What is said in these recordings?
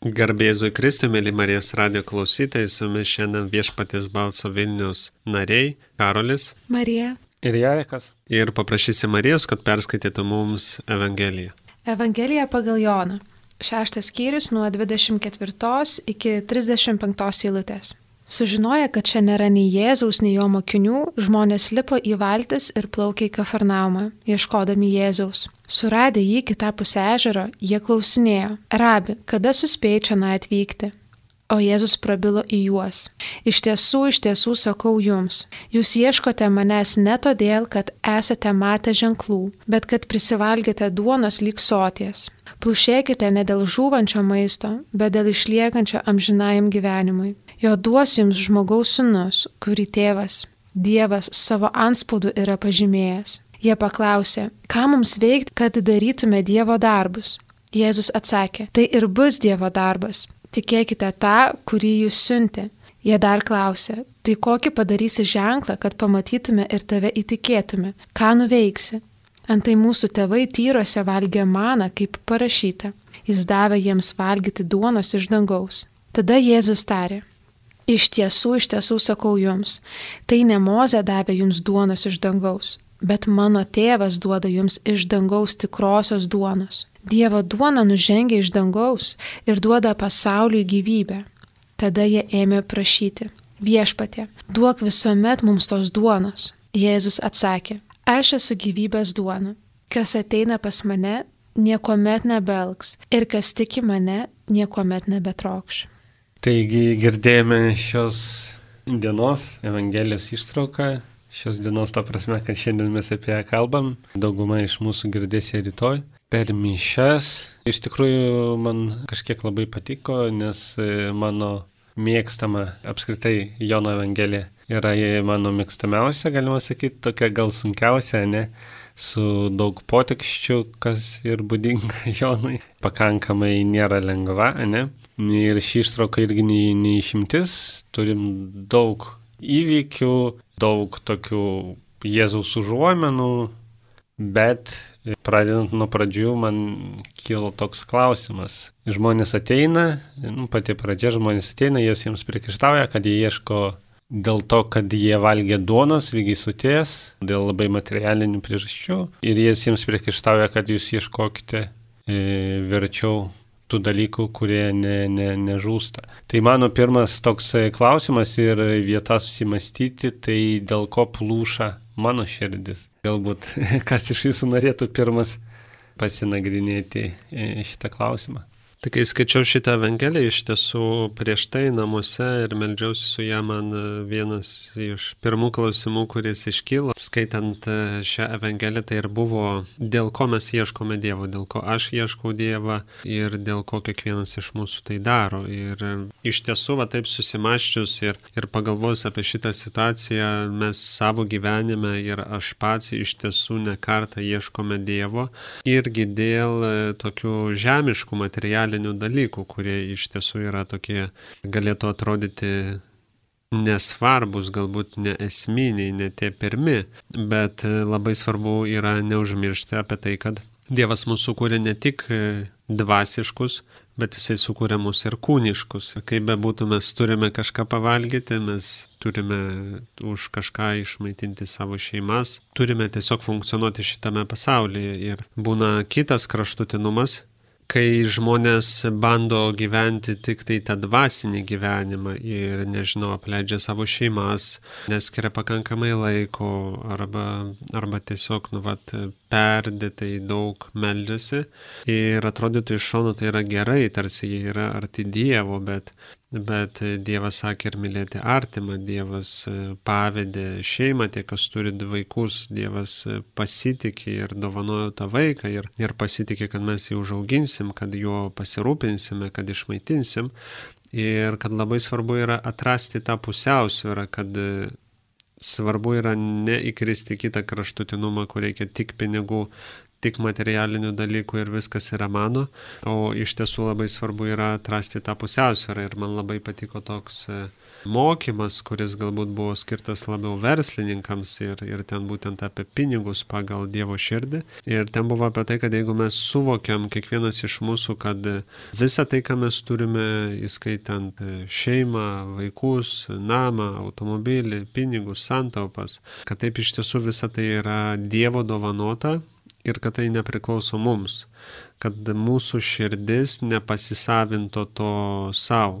Garbėzui Kristui, mėly Marijos radijo klausytojai, su jumis šiandien Viešpaties balso Vilnius nariai Karolis, Marija ir Jarekas. Ir paprašysim Marijos, kad perskaitytų mums Evangeliją. Evangelija pagal Joną. 6 skyrius nuo 24 iki 35 eilutės. Sužinoję, kad čia nėra nei Jėzaus, nei jo mokinių, žmonės lipo į valtis ir plaukė į Kafarnaumą, ieškodami Jėzaus. Suradę jį kitapus ežero, jie klausinėjo: Rabi, kada suspėjai čia atvykti? O Jėzus prabilo į juos: iš tiesų sakau jums, jūs ieškote manęs ne todėl, kad esate matę ženklų, bet kad prisivalgėte duonos lyg soties. Plušėkite ne dėl žūvančio maisto, bet dėl išliekančio amžinajam gyvenimui. Jo duos jums žmogaus sūnus, kurį tėvas, Dievas savo antspaudu yra pažymėjęs. Jie paklausė: ką mums veikti, kad darytume Dievo darbus? Jėzus atsakė: tai ir bus Dievo darbas. Tikėkite tą, kurį jūs siuntė. Jie dar klausė: tai kokį padarysi ženklą, kad pamatytume ir tave įtikėtume? Ką nuveiksi? Antai mūsų tėvai tyruose valgė maną, kaip parašyta. Jis davė jiems valgyti duonos iš dangaus. Tada Jėzus tarė: iš tiesų sakau jums, tai ne Mozė davė jums duonos iš dangaus, bet mano tėvas duoda jums iš dangaus tikrosios duonos. Dievo duona nužengia iš dangaus ir duoda pasauliui gyvybę. Tada jie ėmė prašyti: Viešpatie, duok visuomet mums tos duonos. Jėzus atsakė: aš esu gyvybės duona. Kas ateina pas mane, niekuomet nebelgs, ir kas tiki mane, niekuomet nebetrokš. Taigi girdėjome šios dienos Evangelijos ištrauką. Šios dienos ta prasme, kad šiandien mes apie ją kalbam. Dauguma iš mūsų girdės ją rytoj. Per mišias. Iš tikrųjų man kažkiek labai patiko, nes mano mėgstama apskritai Jono Evangelija yra mano mėgstamiausia, galima sakyti, tokia gal sunkiausia, ne? Su daug potekščių, kas ir būdinga Jonui. Pakankamai nėra lengva, ne? Ir ši ištrauka irgi neišimtis. Turim daug įvykių, daug tokių Jėzaus užuomenų, bet pradedant nuo pradžių man kilo toks klausimas. Žmonės ateina, pati pradžia, žmonės ateina, jiems priekaištauja, kad jie ieško dėl to, kad jie valgė duonos lygiai soties, dėl labai materialinių priežasčių. Ir jiems priekaištauja, kad jūs ieškokite verčiau tų dalykų, kurie nežūsta. Tai mano pirmas toks klausimas ir vieta susimastyti, tai dėl ko plūša mano širdis. Galbūt kas iš jūsų norėtų pirmas pasinagrinėti šitą klausimą. Tai kai skaičiau šitą Evangeliją, iš tiesų prieš tai namuose ir meldžiausi su ją, man vienas iš pirmų klausimų, kuris iškyla, skaitant šią Evangeliją, tai ir buvo, dėl ko mes ieškome Dievo, dėl ko aš ieškau Dievą ir dėl ko kiekvienas iš mūsų tai daro. Ir iš tiesų, taip susimaščius ir pagalvojus apie šitą situaciją, mes savo gyvenime ir aš pats iš tiesų ne kartą ieškome Dievo irgi dėl tokių žemiškų materialinių dalykų, kurie iš tiesų yra tokie, galėtų atrodyti nesvarbus, galbūt neesminiai, ne tie pirmi, bet labai svarbu yra neužmiršti apie tai, kad Dievas mūsų sukūrė ne tik dvasiškus, bet Jisai sukūrė mus ir kūniškus. Kaip bebūtų, mes turime kažką pavalgyti, mes turime už kažką išmaitinti savo šeimas, turime tiesiog funkcionuoti šitame pasaulyje. Ir būna kitas kraštutinumas, kai žmonės bando gyventi tik tai tą dvasinį gyvenimą ir, apleidžia savo šeimas, neskiria pakankamai laiko arba tiesiog, perdėtai daug meldžiasi. Ir atrodytų iš šono tai yra gerai, tarsi jie yra arti Dievo, bet Dievas sakė ir mylėti artimą, Dievas pavedė šeimą, tie, kas turi vaikus, Dievas pasitikė ir dovanojo tą vaiką ir pasitikė, kad mes jį užauginsim, kad juo pasirūpinsime, kad išmaitinsim. Ir kad labai svarbu yra atrasti tą pusiausvyrą, kad svarbu yra neįkristi kitą kraštutinumą, kur reikia tik pinigų, tik materialinių dalykų ir viskas yra mano, o iš tiesų labai svarbu yra atrasti tą pusiausvyrą ir man labai patiko toks mokymas, kuris galbūt buvo skirtas labiau verslininkams ir ten būtent apie pinigus pagal Dievo širdį. Ir ten buvo apie tai, kad jeigu mes suvokiam kiekvienas iš mūsų, kad visą tai, ką mes turime, įskaitant šeimą, vaikus, namą, automobilį, pinigus, santaupas, kad taip iš tiesų visa tai yra Dievo dovanota ir kad tai nepriklauso mums, kad mūsų širdis nepasisavinto to savo,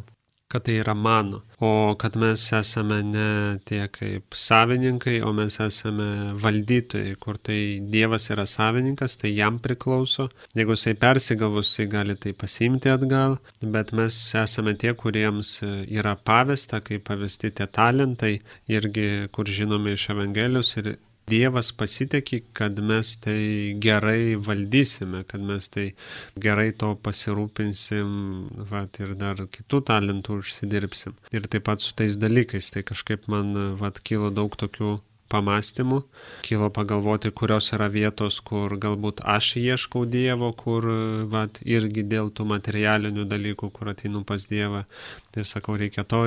kad tai yra mano, o kad mes esame ne tie kaip savininkai, o mes esame valdytojai, kur tai Dievas yra savininkas, tai jam priklauso. Jeigu jisai persigalvus, jisai gali tai pasiimti atgal, bet mes esame tie, kuriems yra pavesta, kaip pavesti tie talentai, irgi kur žinome iš Evangelijos ir Dievas pasitikė, kad mes tai gerai valdysime, kad mes tai gerai to pasirūpinsim, ir dar kitų talentų užsidirbsim. Ir taip pat su tais dalykais, tai kažkaip man kilo daug tokių pamastymų, kilo pagalvoti, kurios yra vietos, kur galbūt aš ieškau Dievo, kur irgi dėl tų materialinių dalykų, kur ateinu pas Dievą. Tai sakau, reikia to.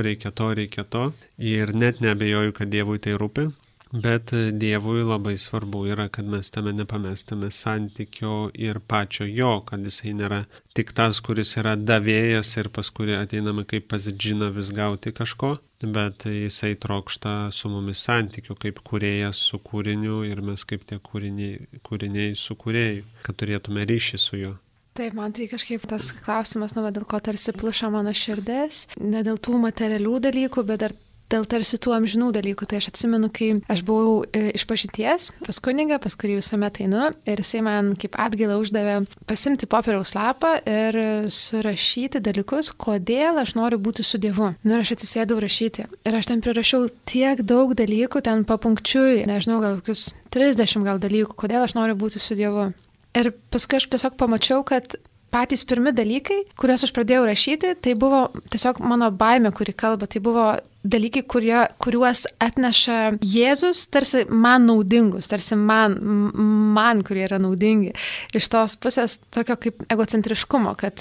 Ir net neabejoju, kad Dievui tai rūpi. Bet Dievui labai svarbu yra, kad mes tame nepamestume santykio ir pačio jo, kad jisai nėra tik tas, kuris yra davėjas ir paskui ateiname kaip pas džiną vis gauti kažko, bet jisai trokšta su mumis santykių kaip kūrėjas su kūriniu ir mes kaip tie kūriniai su kūrėju, kad turėtume ryšį su juo. Taip, man tai kažkaip tas klausimas, dėl ko tarsi pluša mano širdis, ne dėl tų materialių dalykų, bet dar dėl tarsi tų amžinų dalykų. Tai aš atsimenu, kai aš buvau išpažinties pas kunigą, pas kurį visuomet einu, ir jisai man kaip atgailą uždavė pasimti popieriaus lapą ir surašyti dalykus, kodėl aš noriu būti su Dievu. Ir aš atsisėdau rašyti. Ir aš ten prirašiau tiek daug dalykų, ten papunkčiui, nežinau, gal kokius 30 dalykų, kodėl aš noriu būti su Dievu. Ir paskui aš tiesiog pamačiau, kad patys pirmi dalykai, kuriuos aš pradėjau rašyti, tai buvo tiesiog mano baimė, kuri kalba, tai buvo dalykai, kuriuos atneša Jėzus, tarsi man naudingus, tarsi man, kurie yra naudingi. Iš tos pusės tokio kaip egocentriškumo, kad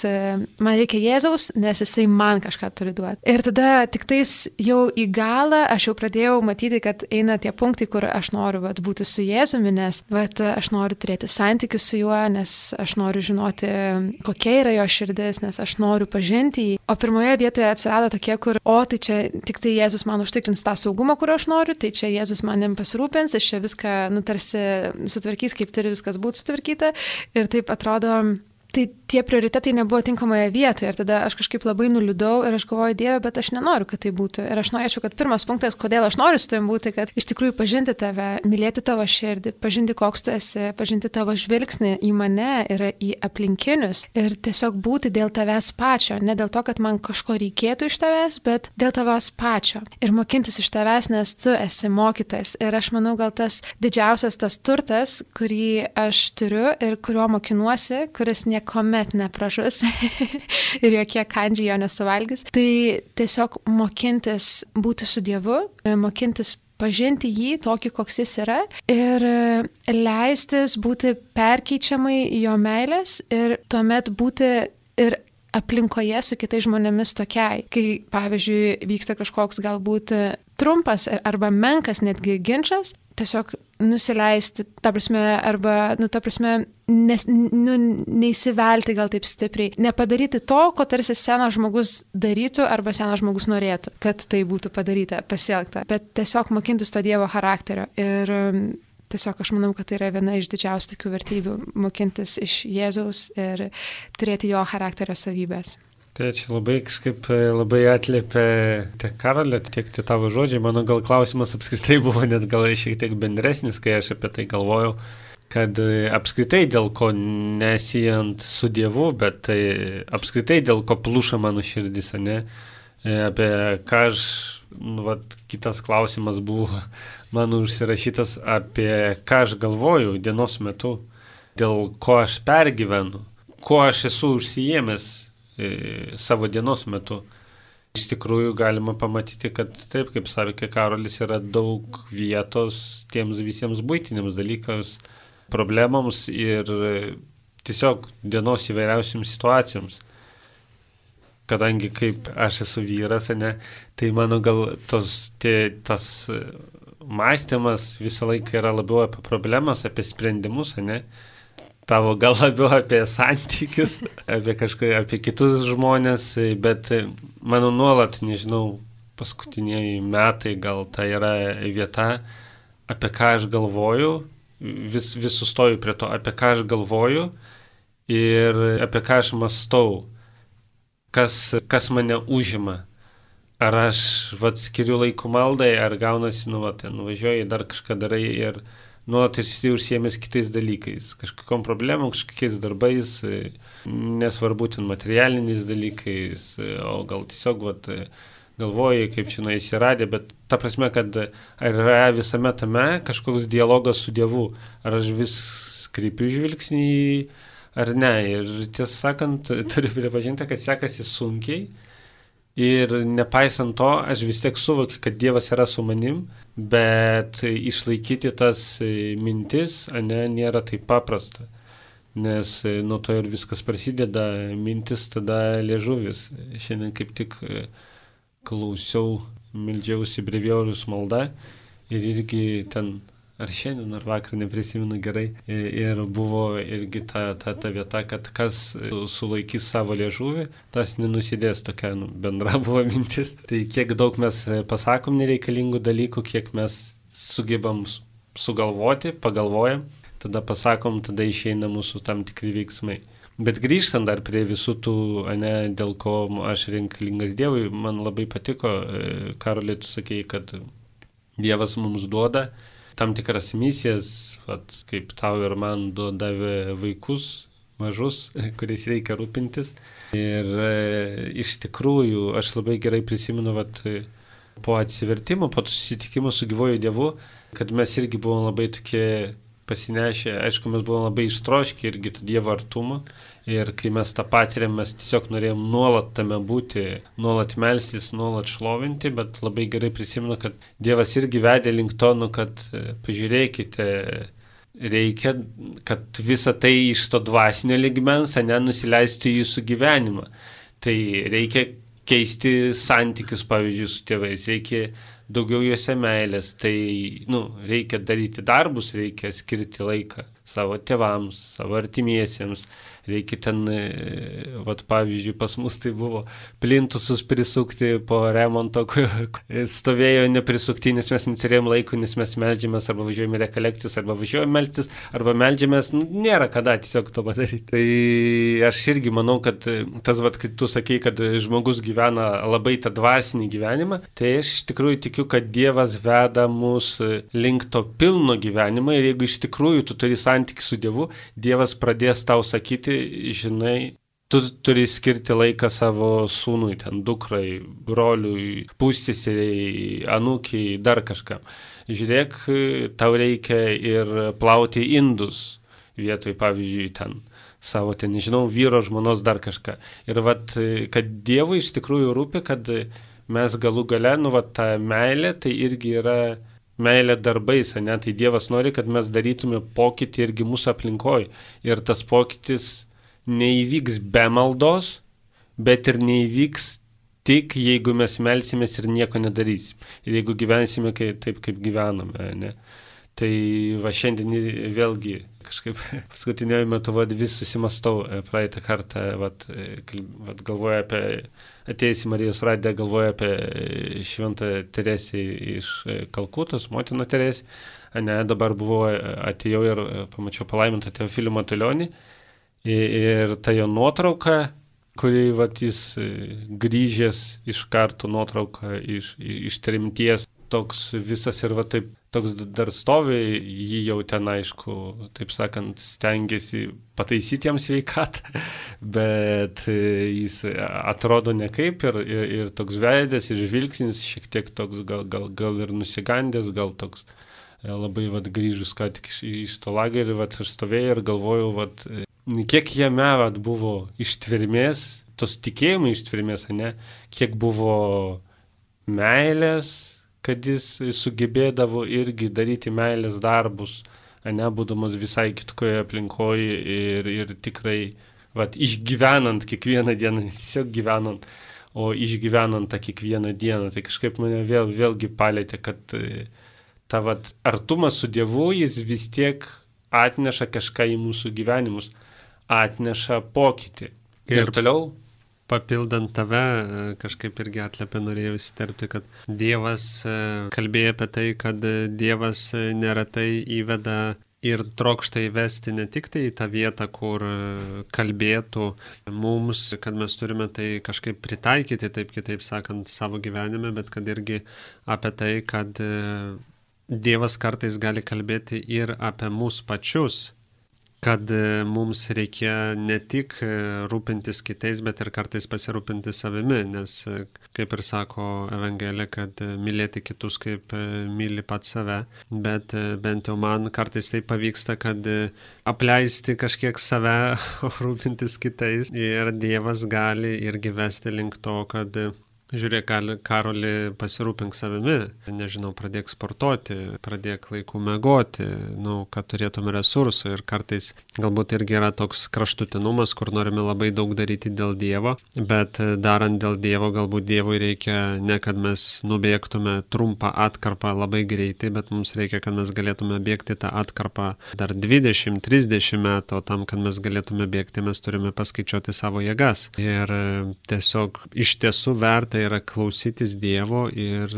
man reikia Jėzaus, nes jisai man kažką turi duoti. Ir tada tik tais jau į galą aš jau pradėjau matyti, kad eina tie punktai, kur aš noriu būti su Jėzumi, nes aš noriu turėti santykius su juo, nes aš noriu žinoti, kokia yra jo širdis, nes aš noriu pažinti jį. O pirmoje vietoje atsirado tokie, kur, tai čia tik tai Jėzus man užtikrins tą saugumą, kurio aš noriu, tai čia Jėzus manim pasirūpins, aš čia viską, tarsi sutvarkys, kaip turi viskas būti sutvarkyta. Ir taip atrodo, tai tie prioritetai nebuvo tinkamoje vietoje. Ir tada aš kažkaip labai nuliūdau ir aš galvoju, Dieve, bet aš nenoriu, kad tai būtų. Ir aš norėčiau, kad pirmas punktas, kodėl aš noriu su tavim būti, kad iš tikrųjų pažinti tave, mylėti tavo širdį, pažinti, koks tu esi, pažinti tavo žvilgsnį į mane ir į aplinkinius. Ir tiesiog būti dėl tavęs pačio. Ne dėl to, kad man kažko reikėtų iš tavęs, bet dėl tavęs pačio. Ir mokintis iš tavęs, nes tu esi mokytojas. Ir aš manau, gal tas didžiausias tas turtas, kurį aš turiu ir kurio mokinuosi, kuris niekuomet nepražus ir jokie kandžiai jo nesuvalgys. Tai tiesiog mokintis būti su Dievu, mokintis pažinti jį tokį, koks jis yra ir leistis būti perkeičiamai jo meilės ir tuomet būti ir aplinkoje su kitais žmonėmis tokiai. Kai, pavyzdžiui, vyksta kažkoks galbūt trumpas arba menkas netgi ginčas, tiesiog nusileisti, neįsivelti gal taip stipriai, nepadaryti to, ko tarsi senas žmogus darytų arba senas žmogus norėtų, kad tai būtų padaryta, pasielgta, bet tiesiog mokintis to Dievo charakterio. Ir tiesiog aš manau, kad tai yra viena iš didžiausių tokių vertybių, mokintis iš Jėzaus ir turėti jo charakterio savybės. Tai čia labai atliepia tiek Karolė, tiek tavo žodžiai. Mano gal klausimas apskritai buvo net gal šiek tiek bendresnis, kai aš apie tai galvojau, kad apskritai dėl ko nesijant su Dievu, bet tai apskritai dėl ko pluša mano širdis, ne? Apie ką aš, kitas klausimas buvo mano užsirašytas, apie ką aš galvoju dienos metu, dėl ko aš pergyvenu, ko aš esu užsijėmęs savo dienos metu. Iš tikrųjų galima pamatyti, kad taip, kaip sakė Karolis, yra daug vietos tiems visiems buitiniams dalykams, problemoms ir tiesiog dienos įvairiausiams situacijoms. Kadangi kaip aš esu vyras, ne, tai mano gal tas mąstymas visą laiką yra labiau apie problemas, apie sprendimus, ne. Tavo gal labiau apie santykius, apie kitus žmonės, bet mano nuolat, nežinau, paskutiniai metai gal tai yra vieta, apie ką aš galvoju, vis sustoju prie to, apie ką aš galvoju ir apie ką aš mąstau, kas mane užima. Ar aš skiriu laiko maldai, ar gaunasi, nuvažiuoji, dar kažką darai ir nuolat esi užsiėmęs kitais dalykais, kažkokiom problemom, kažkokiais darbais, nesvarbu ten materialiniais dalykais, o gal tiesiog galvoji, kaip čia įsiradė, bet ta prasme, kad ar yra visame tame kažkoks dialogas su Dievu, ar aš vis kreipiu žvilgsnį ar ne. Ir tiesą sakant, turiu pripažinti, kad sekasi sunkiai ir nepaisant to, aš vis tiek suvokiu, kad Dievas yra su manim, bet išlaikyti tas mintis, nėra taip paprasta. Nes nuo to ir viskas prasideda, mintis tada liežuvis. Šiandien kaip tik klausiau, meldžiausi brevijorius malda ir irgi ten, ar šiandien, ar vakar, neprisimenu gerai, ir buvo irgi ta vieta, kad kas sulaikys savo liežuvį, tas nenusidės, tokia bendra buvo mintis. Tai kiek daug mes pasakom nereikalingų dalykų, kiek mes sugebam sugalvoti, pagalvojam, tada pasakom, tada išeina mūsų tam tikri veiksmai. Bet grįžtant dar prie visų tų, dėl ko aš reikalingas Dievui, man labai patiko, Karoli, tu sakei, kad Dievas mums duoda tam tikras misijas, kaip tau ir man davė vaikus mažus, kuriais reikia rūpintis. Ir iš tikrųjų, aš labai gerai prisimenu, po atsivertimo, po susitikimo su gyvuoju Dievu, kad mes irgi buvom labai tokie pasinešę, aišku, mes buvom labai ištroškę irgi to Dievo artumo. Ir kai mes tą patiriam, mes tiesiog norėjom nuolat tame būti, nuolat melstis, nuolat šlovinti, bet labai gerai prisimenu, kad Dievas irgi vedė link to, kad pažiūrėkite, reikia, kad visa tai iš to dvasinio lygmens, nusileistų į jūsų gyvenimą. Tai reikia keisti santykius, pavyzdžiui, su tėvais, reikia daugiau juose meilės, tai reikia daryti darbus, reikia skirti laiką savo tėvams, savo artimiesiems. Reikia ten, pavyzdžiui, pas mus tai buvo plintusus prisukti po remonto, stovėjo neprisukti, nes mes neturėjom laiko, nes mes meldžiamės, arba važiuojame rekolekcijas, arba važiuojame meldstis, arba meldžiamės, nėra kada tiesiog to padaryti. Tai aš irgi manau, kad tas, kai tu sakei, kad žmogus gyvena labai tą dvasinį gyvenimą, tai aš iš tikrųjų tikiu, kad Dievas veda mus link to pilno gyvenimo ir jeigu iš tikrųjų tu turi santykį su Dievu, Dievas pradės tau sakyti, žinai, tu turi skirti laiką savo sūnui, ten dukrai, broliui, pusseseriai, anūkiai, dar kažkam. Žiūrėk, tau reikia ir plauti indus vietoj, pavyzdžiui, ten savo, nežinau, vyro, žmonos, dar kažką. Ir kad Dievui iš tikrųjų rūpi, kad mes galų gale, ta meilė, tai irgi yra meilė darbais, tai Dievas nori, kad mes darytume pokytį irgi mūsų aplinkoje. Ir tas pokytis neįvyks be maldos, bet ir neįvyks tik, jeigu mes melsimės ir nieko nedarysim. Ir jeigu gyvensime taip, kaip gyvename, ne? Tai šiandien vėlgi kažkaip paskutiniuoju metu vis susimastau, praeitą kartą galvoju apie, atėjus į Marijos radiją, galvoju apie Šventą Teresę iš Kalkutos, motiną Teresę. Dabar atėjau ir pamačiau palaimintą Teofilį Matulionį ir ta jo nuotrauka, kuri jis grįžęs iš karto nuotrauka iš tremties, toks visas ir taip, toks dar stovi, jį jau ten, aišku, taip sakant, stengiasi pataisyti jam sveikatą, bet jis atrodo nekaip ir toks veidas, ir žvilgsnis šiek tiek toks gal ir nusigandęs, gal toks labai grįžus ką tik iš to lagerio, aš stovėjau ir galvojau, kiek jame buvo ištvermės, tos tikėjimo ištvermės, kiek buvo meilės, kad jis sugebėdavo irgi daryti meilės darbus, būdamas visai kitkoje aplinkoje ir tikrai, išgyvenant kiekvieną dieną, tiesiog gyvenant, o išgyvenant tą kiekvieną dieną, tai kažkaip mane vėlgi palėtė, kad artumas su Dievu, jis vis tiek atneša kažką į mūsų gyvenimus, atneša pokytį. Ir toliau. Papildant tave, kažkaip irgi atliepė, norėjau įsiterpti, kad Dievas kalbėjo apie tai, kad Dievas neretai įveda ir trokšta įvesti ne tik tai į tą vietą, kur kalbėtų mums, kad mes turime tai kažkaip pritaikyti, taip kitaip sakant, savo gyvenime, bet kad irgi apie tai, kad Dievas kartais gali kalbėti ir apie mus pačius, kad mums reikia ne tik rūpintis kitais, bet ir kartais pasirūpinti savimi, nes, kaip ir sako Evangelija, kad mylėti kitus kaip myli pats save, bet bent jau man kartais tai pavyksta, kad apleisti kažkiek save, rūpintis kitais, ir Dievas gali irgi vesti link to, kad žiūrėk, Karoli, pasirūpink savimi, nežinau, pradėk sportuoti, pradėk laiku miegoti, kad turėtume resursų, ir kartais galbūt irgi yra toks kraštutinumas, kur norime labai daug daryti dėl Dievo, bet darant dėl Dievo, galbūt Dievui reikia ne, kad mes nubėgtume trumpą atkarpą labai greitai, bet mums reikia, kad mes galėtume bėgti tą atkarpą dar 20-30 metų, o tam, kad mes galėtume bėgti, mes turime paskaičiuoti savo jėgas. Ir tiesiog iš tiesų verta yra klausytis Dievo ir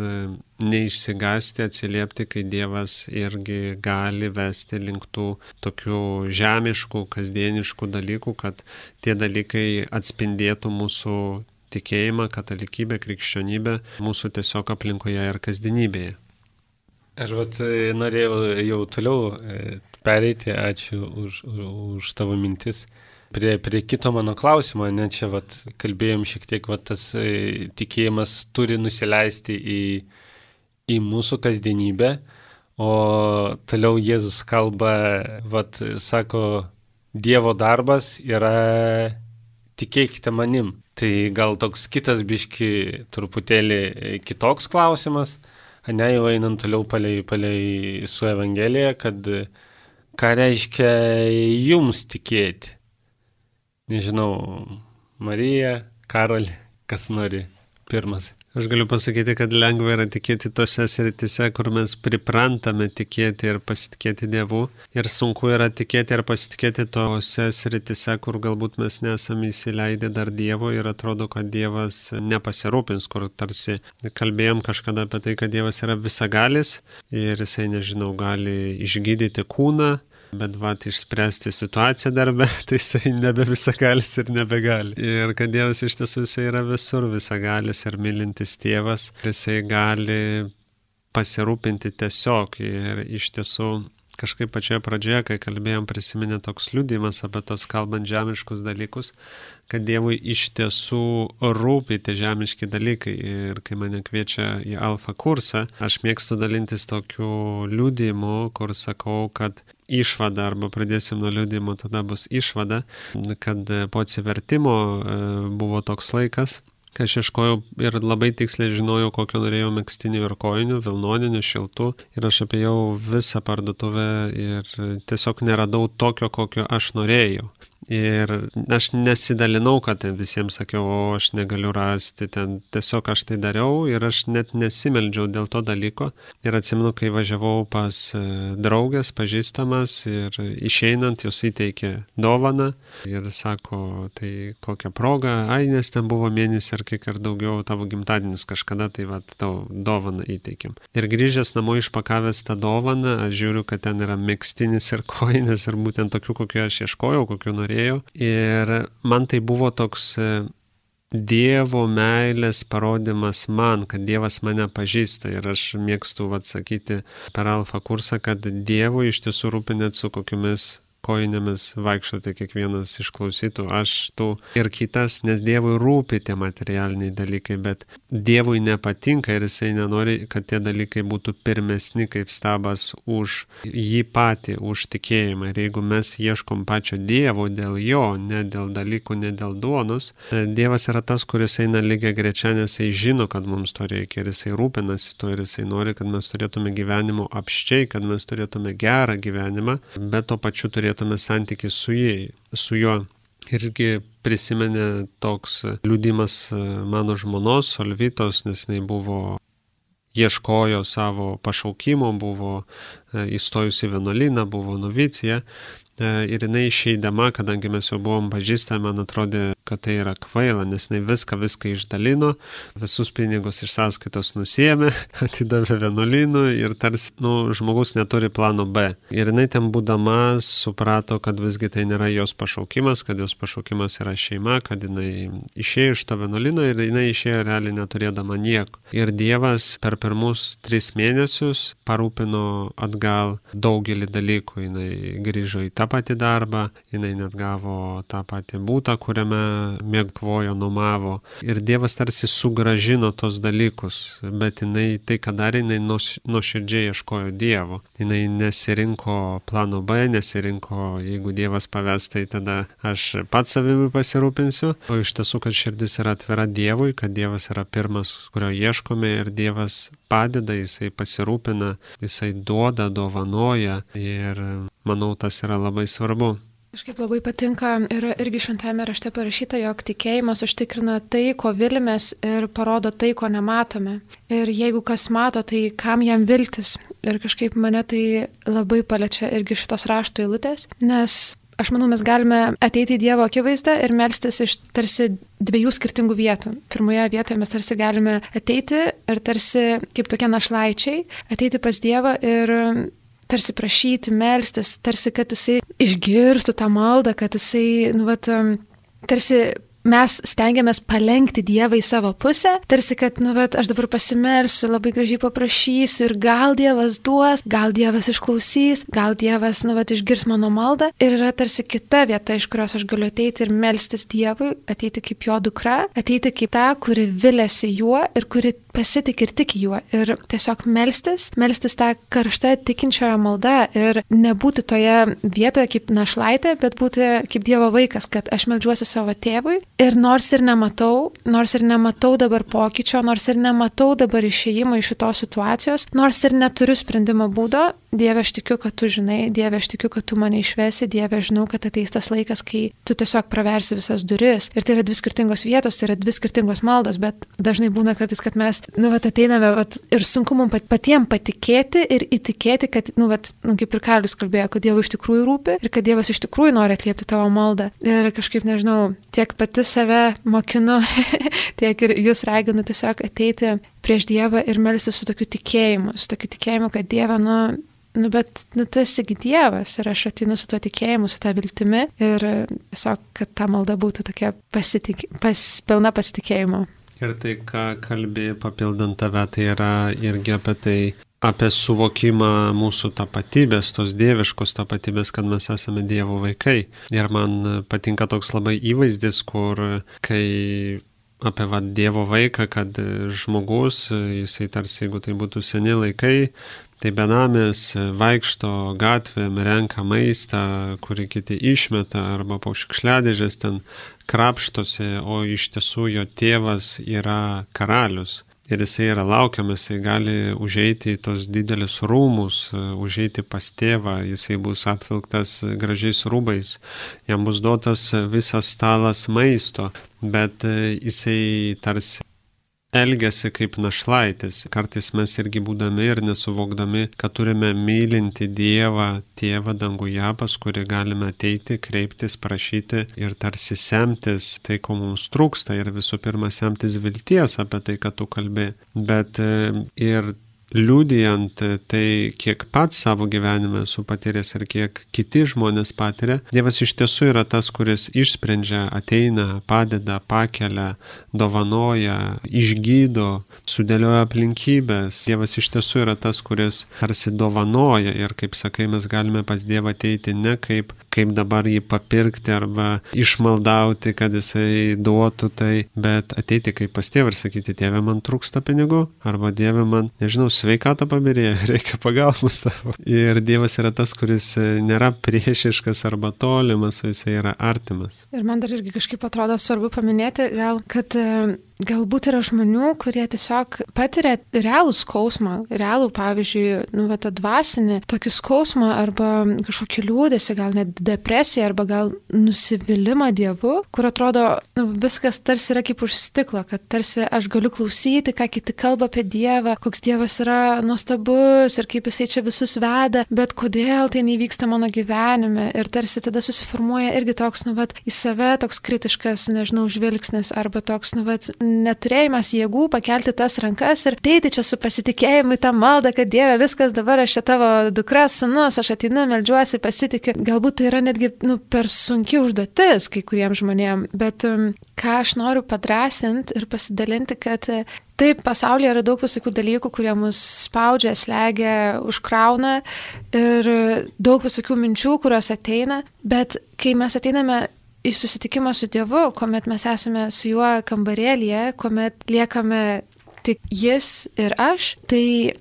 neišsigąsti, atsiliepti, kai Dievas irgi gali vesti link tų tokių žemiškų, kasdieniškų dalykų, kad tie dalykai atspindėtų mūsų tikėjimą, katalikybę, krikščionybę mūsų tiesiog aplinkoje ir kasdienybėje. Aš norėjau jau toliau pereiti, ačiū už tavo mintis. Prie kito mano klausimo, čia kalbėjom šiek tiek, tas tikėjimas turi nusileisti į mūsų kasdienybę, o toliau Jėzus kalba, sako, Dievo darbas yra tikėkite manim. Tai gal toks kitas biški truputėlį kitoks klausimas, jau einant toliau palei su Evangelija, kad ką reiškia jums tikėti? Nežinau, Marija, Karoli, kas nori pirmas? Aš galiu pasakyti, kad lengva yra tikėti tose sritise, kur mes priprantame tikėti ir pasitikėti Dievu. Ir sunku yra tikėti ir pasitikėti tose sritise, kur galbūt mes nesame įsileidę dar Dievo ir atrodo, kad Dievas nepasirūpins, kur tarsi kalbėjom kažkada apie tai, kad Dievas yra visagalis ir jisai, nežinau, gali išgydyti kūną, bet išspręsti situaciją darbe, tai jisai nebe visagalis ir nebegali. Ir kad Dievas iš tiesų jisai yra visur visagalis ir mylintis tėvas, jisai gali pasirūpinti tiesiog. Ir iš tiesų kažkaip pačioje pradžioje, kai kalbėjom, prisiminė toks liudijimas apie tos kalbant žemiškus dalykus, kad Dievui iš tiesų rūpi tie žemiški dalykai. Ir kai mane kviečia į Alfa kursą, aš mėgstu dalintis tokiu liudijimu, kur sakau, kad išvada, arba pradėsim nuo liudijimo, tada bus išvada, kad po atsivertimo buvo toks laikas, kai aš ieškojau ir labai tiksliai žinojau, kokio norėjau megztinių ir kojinių, vilnoninių, šiltų, ir aš apėjau visą parduotuvę ir tiesiog neradau tokio, kokio aš norėjau. Ir aš nesidalinau, kad ten visiems sakiau, o aš negaliu rasti, ten tiesiog aš tai dariau ir aš net nesimeldžiau dėl to dalyko. Ir atsimenu, kai važiavau pas draugės, pažįstamas, ir išeinant jos įteikė dovaną ir sako, tai kokia proga, nes ten buvo mėnesį ar kiek ar daugiau tavo gimtadienis kažkada, tai tau dovaną įteikėm. Ir grįžęs namo išpakavęs tą dovaną, aš žiūriu, kad ten yra megztinis ir kojinės ir būtent tokių, kokių aš ieškojau, kokių norėjau. Ir man tai buvo toks Dievo meilės parodymas man, kad Dievas mane pažįsta. Ir aš mėgstu sakyti per Alfa kursą, kad Dievui iš tiesų rūpi net su kokiomis kojinėmis vaikščioti kiekvienas išklausytų, aš tu ir kitas, nes Dievui rūpi tie materialiniai dalykai, bet Dievui nepatinka ir jisai nenori, kad tie dalykai būtų pirmesni kaip stabas už jį patį, už tikėjimą. Ir jeigu mes ieškom pačio Dievo dėl jo, ne dėl dalykų, ne dėl duonos, Dievas yra tas, kuris eina lygiai grečia, nes jisai žino, kad mums to reikia ir jisai rūpinasi to ir jisai nori, kad mes turėtume gyvenimo apščiai, kad mes turėtume gerą gyvenimą, bet to pačiu turėtume santykį su juo. Irgi prisimenė toks liudimas mano žmonos Solvitos, nes jinai ieškojo savo pašaukimo, buvo įstojusi į vienuolyną, buvo novicija. Ir jinai išeidama, kadangi mes jau buvom pažįstami, man atrodė, kad tai yra kvaila, nes jinai viską išdalino, visus pinigus iš sąskaitos nusiėmė, atidavė vienuolynui ir tarsi, žmogus neturi plano B. Ir jinai ten būdama suprato, kad visgi tai nėra jos pašaukimas, kad jos pašaukimas yra šeima, kad jinai išėjo iš to vienuolino ir jinai išėjo realiai neturėdama nieko. Ir Dievas per pirmus 3 mėnesius parūpino atgal daugelį dalykų, jinai grįžo į tą patį darbą, jinai net gavo tą patį būtą, kuriame mėgvojo, nuomavo. Ir Dievas tarsi sugrąžino tos dalykus, bet jinai tai, ką darė, jinai nuoširdžiai ieškojo Dievo. Jinai nesirinko plano B, nesirinko, jeigu Dievas paves, tai tada aš pats savimi pasirūpinsiu. O iš tiesų, kad širdis yra atvira Dievui, kad Dievas yra pirmas, kurio ieškome ir Dievas padeda, jisai pasirūpina, jisai duoda, dovanoja ir manau, tas yra labai svarbu. Kažkaip labai patinka ir irgi šventajame rašte parašyta, jog tikėjimas užtikrina tai, ko vilimės ir parodo tai, ko nematome. Ir jeigu kas mato, tai kam jam viltis? Ir kažkaip mane tai labai paliečia irgi šitos rašto eilutės, nes aš manau, mes galime ateiti į Dievo akivaizdą ir melstis iš tarsi 2 skirtingų vietų. Pirmoje vietoje mes tarsi galime ateiti ir tarsi kaip tokie našlaičiai, ateiti pas Dievą ir tarsi prašyti, melstis, tarsi kad jisai išgirstų tą maldą, kad jisai, tarsi mes stengiamės palenkti Dievą į savo pusę, tarsi kad, aš dabar pasimelsiu, labai gražiai paprašysiu ir gal Dievas duos, gal Dievas išklausys, gal Dievas, išgirs mano maldą. Ir yra tarsi kita vieta, iš kurios aš galiu ateiti ir melstis Dievui, ateiti kaip jo dukra, ateiti kaip ta, kuri viliasi juo ir kuri pasitik ir tik juo. Ir tiesiog melstis tą karštą tikinčioje maldą ir nebūti toje vietoje kaip našlaitė, bet būti kaip Dievo vaikas, kad aš meldžiuosi savo tėvui. Ir nors ir nematau dabar pokyčio, nors ir nematau dabar išėjimo iš šitos situacijos, nors ir neturiu sprendimo būdo, Dieve, aš tikiu, kad tu žinai, Dieve, aš tikiu, kad tu mane išvesi, Dieve, žinau, kad ateis tas laikas, kai tu tiesiog praversi visas duris. Ir tai yra 2 skirtingos vietos, tai yra 2 skirtingos maldos, bet dažnai būna kartais, kad mes, ateiname ir sunku mums patiems patikėti ir įtikėti, kad, kaip ir Karlis kalbėjo, kad Dievui iš tikrųjų rūpi ir kad Dievas iš tikrųjų nori atliepti tavo maldą. Ir kažkaip, nežinau, tiek pati save mokinu, tiek ir jūs raginu tiesiog ateiti prieš Dievą ir melstis su tokiu tikėjimu, kad Dieve, bet tu esi Dievas ir aš ateinu su tuo tikėjimu, su tą viltimi ir tiesiog, kad ta malda būtų tokia pilna pasitikėjimo. Ir tai, ką kalbėjai papildant tave, tai yra irgi apie suvokimą mūsų tapatybės, tos dieviškos tapatybės, kad mes esame Dievo vaikai. Ir man patinka toks labai įvaizdis, kur kai apie Dievo vaiką, kad žmogus, jisai tarsi, jeigu tai būtų seni laikai, tai benamis vaikšto gatvėm, renka maistą, kurį kiti išmeta, arba po šiukšliadėžės ten krapštosi, o iš tiesų jo tėvas yra karalius. Ir jisai yra laukiamas, jisai gali užeiti į tos didelius rūmus, užeiti pas tėvą, jisai bus apvilktas gražiais rūbais, jam bus duotas visas stalas maisto, bet jisai tarsi elgiasi kaip našlaitis. Kartais mes irgi būdami ir nesuvokdami, kad turime mylinti Dievą, Tėvą danguje, pas kurį galime ateiti, kreiptis, prašyti ir tarsi semtis tai, ko mums trūksta ir visų pirma semtis vilties apie tai, kad tu kalbė, bet ir liudijant tai, kiek pats savo gyvenime esu patyręs ir kiek kiti žmonės patiria, Dievas iš tiesų yra tas, kuris išsprendžia, ateina, padeda, pakelia, dovanoja, išgydo, sudėlioja aplinkybės. Dievas iš tiesų yra tas, kuris tarsi dovanoja ir, kaip sakai, mes galime pas Dievą ateiti ne kaip dabar jį papirkti arba išmaldauti, kad jisai duotų tai, bet ateiti kaip pas Tėvą ir sakyti, Tėve, man trūksta pinigų, arba Dieve, man, nežinau, sveikatą pabirėjo, reikia pagalbos tavo. Ir Dievas yra tas, kuris nėra priešiškas arba tolimas, jisai yra artimas. Ir man dar irgi kažkaip atrodo svarbu paminėti, kad galbūt yra žmonių, kurie tiesiog patiria realų skausmą, realų, pavyzdžiui, tą dvasinį tokį skausmą arba kažkokį liūdesį, gal net depresiją arba gal nusivylimą Dievu, kur atrodo viskas tarsi yra kaip už stiklo, kad tarsi aš galiu klausyti, ką kiti kalba apie Dievą, koks Dievas yra nuostabus ir kaip jisai čia visus veda, bet kodėl tai nevyksta mano gyvenime ir tarsi tada susiformuoja irgi toks, į save toks kritiškas, nežinau, žvilgsnis arba toks, neturėjimas jėgų pakelti tas rankas ir ateiti čia su pasitikėjimu į tą maldą, kad Dieve, viskas dabar aš čia tavo dukra, sūnus, aš ateinu, meldžiuosi, pasitikiu. Galbūt tai yra netgi per sunki užduotis kai kuriems žmonėms, bet ką aš noriu padrasinti ir pasidalinti, kad taip, pasaulyje yra daug visokių dalykų, kurie mus spaudžia, slegia, užkrauna ir daug visokių minčių, kurios ateina, bet kai mes ateiname į susitikimą su Dievu, kuomet mes esame su juo kambarėlyje, kuomet liekame tik jis ir aš, tai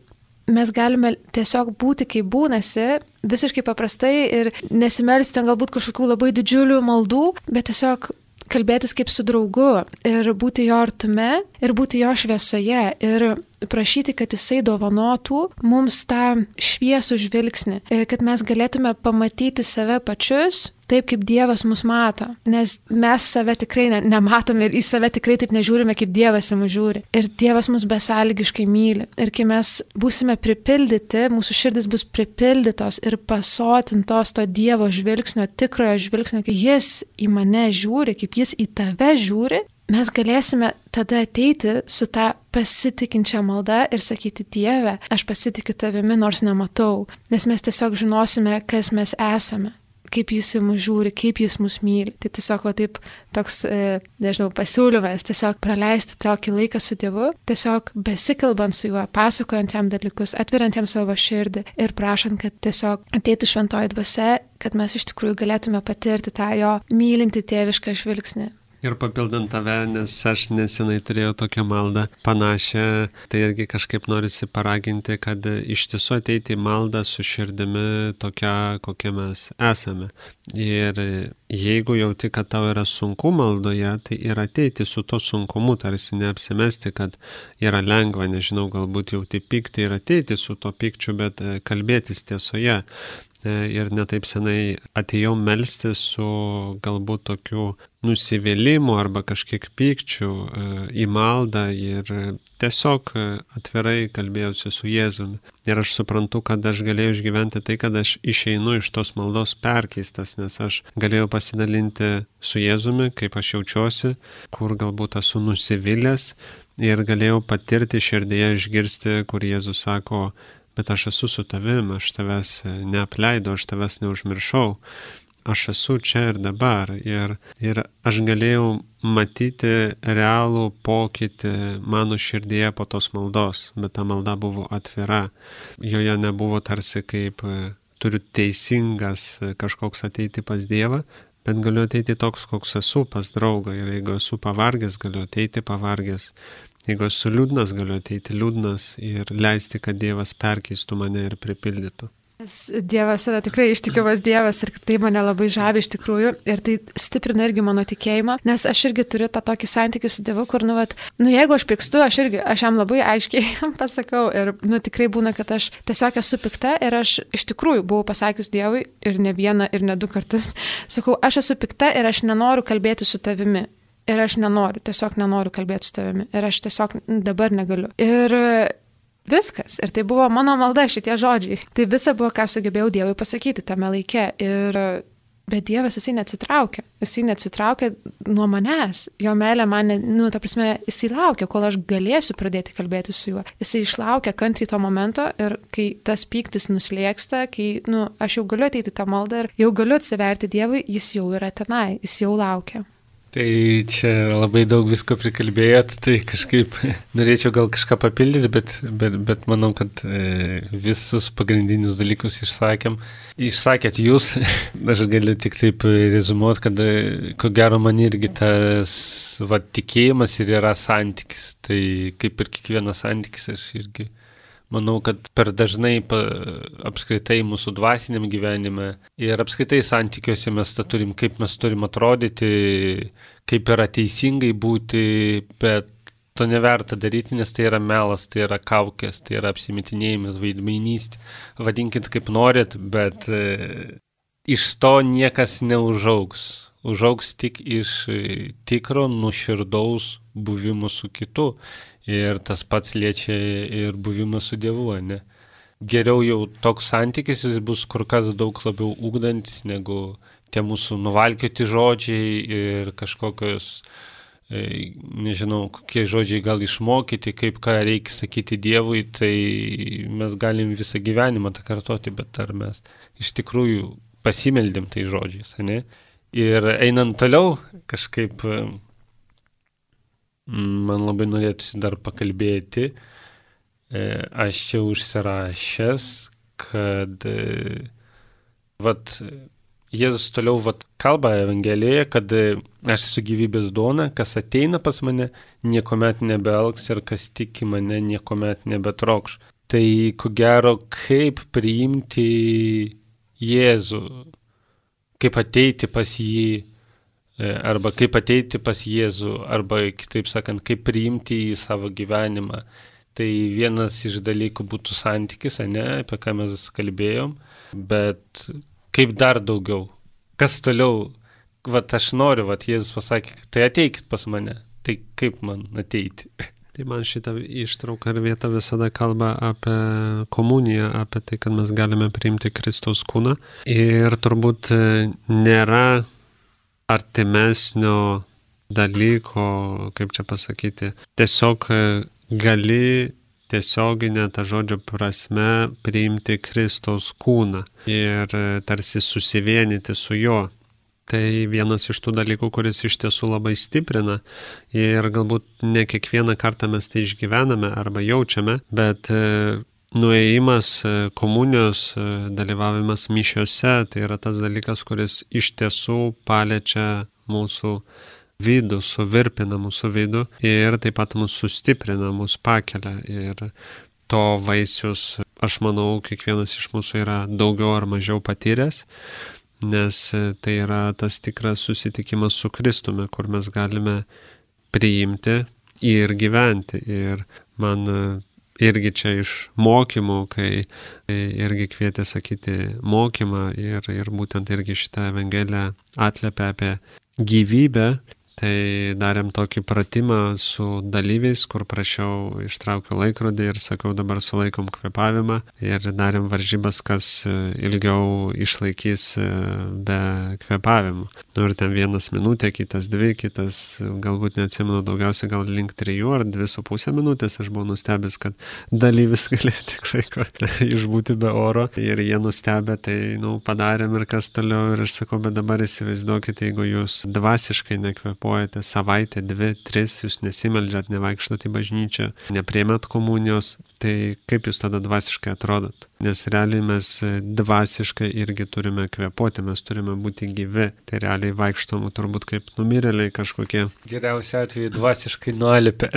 mes galime tiesiog būti kaip būnasi, visiškai paprastai ir nesimelsti ten galbūt kažkokių labai didžiulių maldų, bet tiesiog kalbėtis kaip su draugu ir būti jo artume ir būti jo šviesoje ir prašyti, kad jisai dovanotų mums tą šviesų žvilgsnį, kad mes galėtume pamatyti save pačius taip, kaip Dievas mus mato, nes mes save tikrai nematome ir į save tikrai taip nežiūrime, kaip Dievas į mus žiūri. Ir Dievas mus besąlygiškai myli. Ir kai mes būsime pripildyti, mūsų širdis bus pripildytos ir pasotintos to Dievo žvilgsnio, tikrojo žvilgsnio, kai jis į mane žiūri, kaip jis į tave žiūri, mes galėsime tada ateiti su tą pasitikinčią maldą ir sakyti, Dieve, aš pasitikiu tavimi, nors nematau, nes mes tiesiog žinosime, kas mes esame, kaip jis į mus žiūri, kaip jis mus myli. Tai tiesiog taip toks, nežinau, pasiūlymas, tiesiog praleisti tokį laiką su Dievu, tiesiog besikalbant su juo, pasakojant jam dalykus, atveriant jam savo širdį ir prašant, kad tiesiog ateitų šventoji dvasia, kad mes iš tikrųjų galėtume patirti tą jo mylintį tėvišką žvilgsnį. Ir papildant tave, nes aš nesenai turėjau tokią maldą panašią, tai irgi kažkaip norisi paraginti, kad iš tiesų ateiti į maldą su širdimi tokia, kokia mes esame. Ir jeigu jauti, kad tau yra sunku maldoje, tai ir ateiti su to sunkumu, tarsi neapsimesti, kad yra lengva, nežinau, galbūt jauti pyktį ir ateiti su to pykčiu, bet kalbėtis tiesoje. Ir netaip senai atėjau melstis su galbūt tokiu nusivylimu arba kažkiek pykčiu į maldą ir tiesiog atvirai kalbėjausi su Jėzumi. Ir aš suprantu, kad aš galėjau išgyventi tai, kad aš išeinu iš tos maldos perkeistas, nes aš galėjau pasidalinti su Jėzumi, kaip aš jaučiuosi, kur galbūt esu nusivylęs ir galėjau patirti širdyje, išgirsti, kur Jėzus sako, bet aš esu su tavim, aš tavęs neapleidau, aš tavęs neužmiršau, aš esu čia ir dabar. Ir aš galėjau matyti realų pokytį mano širdyje po tos maldos, bet ta malda buvo atvira. Joje nebuvo tarsi kaip turiu teisingas kažkoks ateiti pas Dievą, bet galiu ateiti toks, koks esu pas draugą. Ir jeigu esu pavargęs, galiu ateiti pavargęs. Jeigu esu liūdnas, galiu ateiti liūdnas ir leisti, kad Dievas perkeistų mane ir pripildytų. Dievas yra tikrai ištikimas Dievas ir tai mane labai žavi iš tikrųjų ir tai stiprina irgi mano tikėjimą, nes aš irgi turiu tą tokį santykį su Dievu, kur, jeigu aš pykstu, aš jam labai aiškiai pasakau ir, tikrai būna, kad aš tiesiog esu pikta ir aš iš tikrųjų buvau pasakius Dievui ir ne vieną ir ne 2 kartus, sakau, aš esu pikta ir aš nenoriu kalbėti su tavimi. Ir aš tiesiog nenoriu kalbėti su tavimi. Ir aš tiesiog dabar negaliu. Ir viskas. Ir tai buvo mano malda, šitie žodžiai. Tai visa buvo, ką sugebėjau Dievui pasakyti tame laike. Bet Dievas, jisai neatsitraukė. Jisai neatsitraukė nuo manęs. Jo meilė man, jisai laukia, kol aš galėsiu pradėti kalbėti su juo. Jisai išlaukia kantriai to momento ir kai tas pyktis nuslėksta, kai, aš jau galiu ateiti tą maldą ir jau galiu atsiverti Dievui, jis jau yra tenai, jis jau laukia. Tai čia labai daug visko prikalbėjot, tai kažkaip norėčiau gal kažką papildyti, bet manau, kad visus pagrindinius dalykus išsakėt jūs. Aš galiu tik taip rezumuoti, kad ko gero man irgi tas tikėjimas ir yra santykis. Tai kaip ir kiekvienas santykis, aš irgi manau, kad per dažnai apskritai mūsų dvasiniam gyvenime ir apskritai santykiuose mes turim, kaip mes turim atrodyti, kaip yra teisingai būti, bet to neverta daryti, nes tai yra melas, tai yra kaukės, tai yra apsimetinėjimas, vaidmainystė. Vadinkit kaip norit, bet iš to niekas neužaugs. Užaugs tik iš tikro, nuoširdaus buvimo su kitu. Ir tas pats liečia ir buvimą su Dievu, ne? Geriau jau toks santykis, jis bus kur kas daug labiau ugdantis, negu tie mūsų nuvalkioti žodžiai ir kažkokios, nežinau, kokie žodžiai gal išmokyti, kaip ką reikia sakyti Dievui, tai mes galim visą gyvenimą tą kartoti, bet ar mes iš tikrųjų pasimeldėm tai žodžiais, ne? Ir einant toliau, kažkaip man labai norėtųsi dar pakalbėti, aš čia užsirašęs, kad Jėzus toliau kalba Evangelijoje, kad aš esu gyvybės duona, kas ateina pas mane, niekuomet nebeelgs ir kas tiki mane, niekuomet nebetrokš. Tai ko gero, kaip priimti Jėzų, kaip ateiti pas jį, arba kaip ateiti pas Jėzų, arba kitaip sakant, kaip priimti į savo gyvenimą. Tai vienas iš dalykų būtų santykis, apie ką mes kalbėjom, bet kaip dar daugiau? Kas toliau? Aš noriu, Jėzus pasakė, tai ateikit pas mane. Tai kaip man ateiti? Tai man šitą ištrauką ir vietą visada kalba apie komuniją, apie tai, kad mes galime priimti Kristaus kūną. Ir turbūt nėra artimesnio dalyko, kaip čia pasakyti, tiesiog gali tiesioginę tą žodžio prasme priimti Kristaus kūną ir tarsi susivienyti su juo. Tai vienas iš tų dalykų, kuris iš tiesų labai stiprina ir galbūt ne kiekvieną kartą mes tai išgyvename arba jaučiame, bet nuėjimas, komunijos, dalyvavimas mišiose, tai yra tas dalykas, kuris iš tiesų paliečia mūsų vidų, suvirpina mūsų vidų ir taip pat mūsų sustiprina, mūsų pakelia. Ir to vaisius, aš manau, kiekvienas iš mūsų yra daugiau ar mažiau patyręs, nes tai yra tas tikras susitikimas su Kristumi, kur mes galime priimti ir gyventi. Ir man irgi čia iš mokymų, kai irgi kvietė sakyti mokymą ir būtent irgi šitą Evangeliją atliepia apie gyvybę, tai darėm tokį pratimą su dalyviais, kur prašiau, ištraukiau laikrodį ir sakiau, dabar sulaikom kvėpavimą ir darėm varžybas, kas ilgiau išlaikys be kvėpavimų. Ir ten 1 minutė, kitas 2, kitas galbūt neatsimenu, daugiausiai gal link 3 ar 2,5 minutės. Aš buvau nustebęs, kad dalyvis galėjo tik laiko išbūti be oro ir jie nustebę, tai padarėm ir kas toliau. Ir aš sakau, bet dabar įsivaizduokite, jeigu jūs dvasiškai nekvėpuojate savaitę, 2, 3, jūs nesimeldžiat, nevaikštot į bažnyčią, nepriėmėt komunijos, tai kaip jūs tada dvasiškai atrodot? Nes realiai mes dvasiškai irgi turime kvėpuoti, mes turime būti gyvi. Tai realiai vaikštom turbūt kaip numirėliai kažkokie. Geriausia atveju dvasiškai nualipę.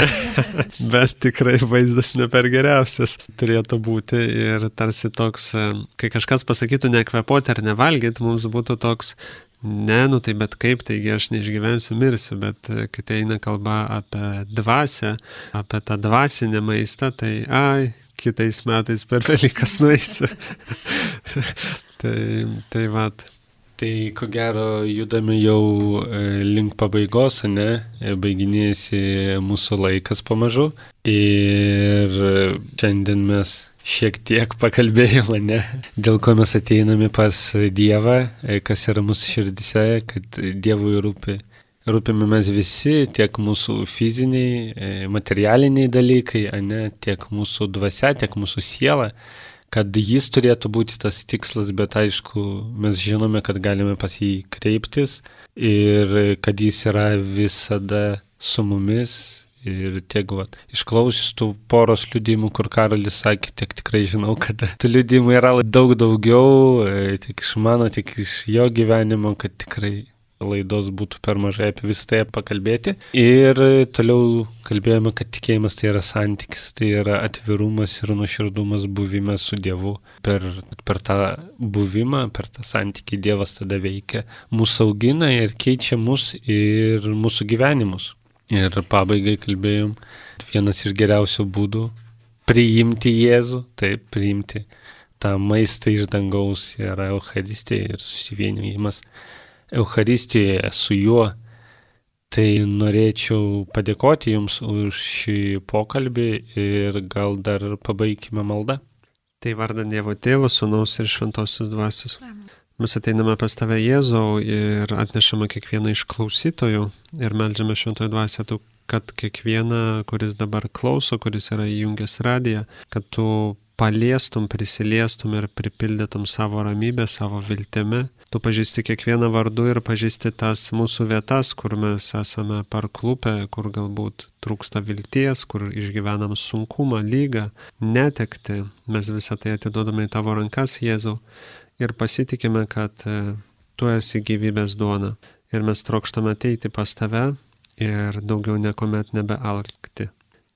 Bet tikrai vaizdas ne per geriausias turėtų būti. Ir tarsi toks, kai kažkas pasakytų nekvėpuoti ar nevalgyti, mums būtų toks, tai bet kaip, taigi aš neišgyvensiu, mirsiu, bet kai tai eina kalba apie dvasią, apie tą dvasinę maistą, tai kitais metais per Velykas nueisiu. tai vat. Tai ko gero judame jau link pabaigos, baiginėjasi mūsų laikas pamažu ir šiandien mes šiek tiek pakalbėjome, dėl ko mes ateiname pas Dievą, kas yra mūsų širdise, kad Dievui rūpime mes visi, tiek mūsų fiziniai, materialiniai dalykai, tiek mūsų dvasia, tiek mūsų siela, kad jis turėtų būti tas tikslas, bet aišku, mes žinome, kad galime pas jį kreiptis ir kad jis yra visada su mumis. Ir tiek, išklausius tų poros liudijimų, kur Karolis sakė, tiek tikrai žinau, kad tų liudijimų yra daug daugiau, tiek iš mano, tiek iš jo gyvenimo, kad tikrai laidos būtų per mažai apie visą tai pakalbėti. Ir toliau kalbėjome, kad tikėjimas tai yra santykis, tai yra atvirumas ir nuoširdumas buvimas su Dievu. Per tą buvimą, per tą santykį Dievas tada veikia, mūsų augina ir keičia mus ir mūsų gyvenimus. Ir pabaigai kalbėjom, vienas iš geriausių būdų priimti Jėzų, taip, priimti tą maistą iš dangaus yra Eucharistija ir susivienijimas Eucharistijoje su juo. Tai norėčiau padėkoti Jums už šį pokalbį ir gal dar pabaikime maldą. Tai vardan Dievo Tėvo, Sūnaus ir Šventosios Dvasios. Mes ateiname pas Tave, Jėzau, ir atnešame kiekvieną iš klausytojų ir meldžiame Šventoji Dvasia, kad kiekvieną, kuris dabar klauso, kuris yra įjungęs radiją, kad Tu paliestum, prisiliestum ir pripildytum savo ramybę, savo viltimi. Tu pažįsti kiekvieną vardu ir pažįsti tas mūsų vietas, kur mes esame parklupę, kur galbūt trūksta vilties, kur išgyvenam sunkumą, lygą, netektį. Mes visą tai atiduodame į Tavo rankas, Jėzau. Ir pasitikime, kad Tu esi gyvybės duona. Ir mes trokštame ateiti pas Tave ir daugiau niekuomet nebealkti.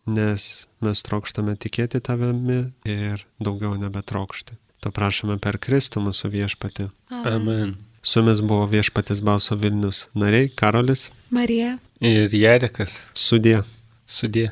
Nes mes trokštame tikėti Tavimi ir daugiau nebetrokšti. To prašome per Kristų mūsų viešpatį. Amen. Su jumis buvo Viešpaties balso Vilnius nariai Karolis, Marija ir Jarekas. Sudie. Sudie.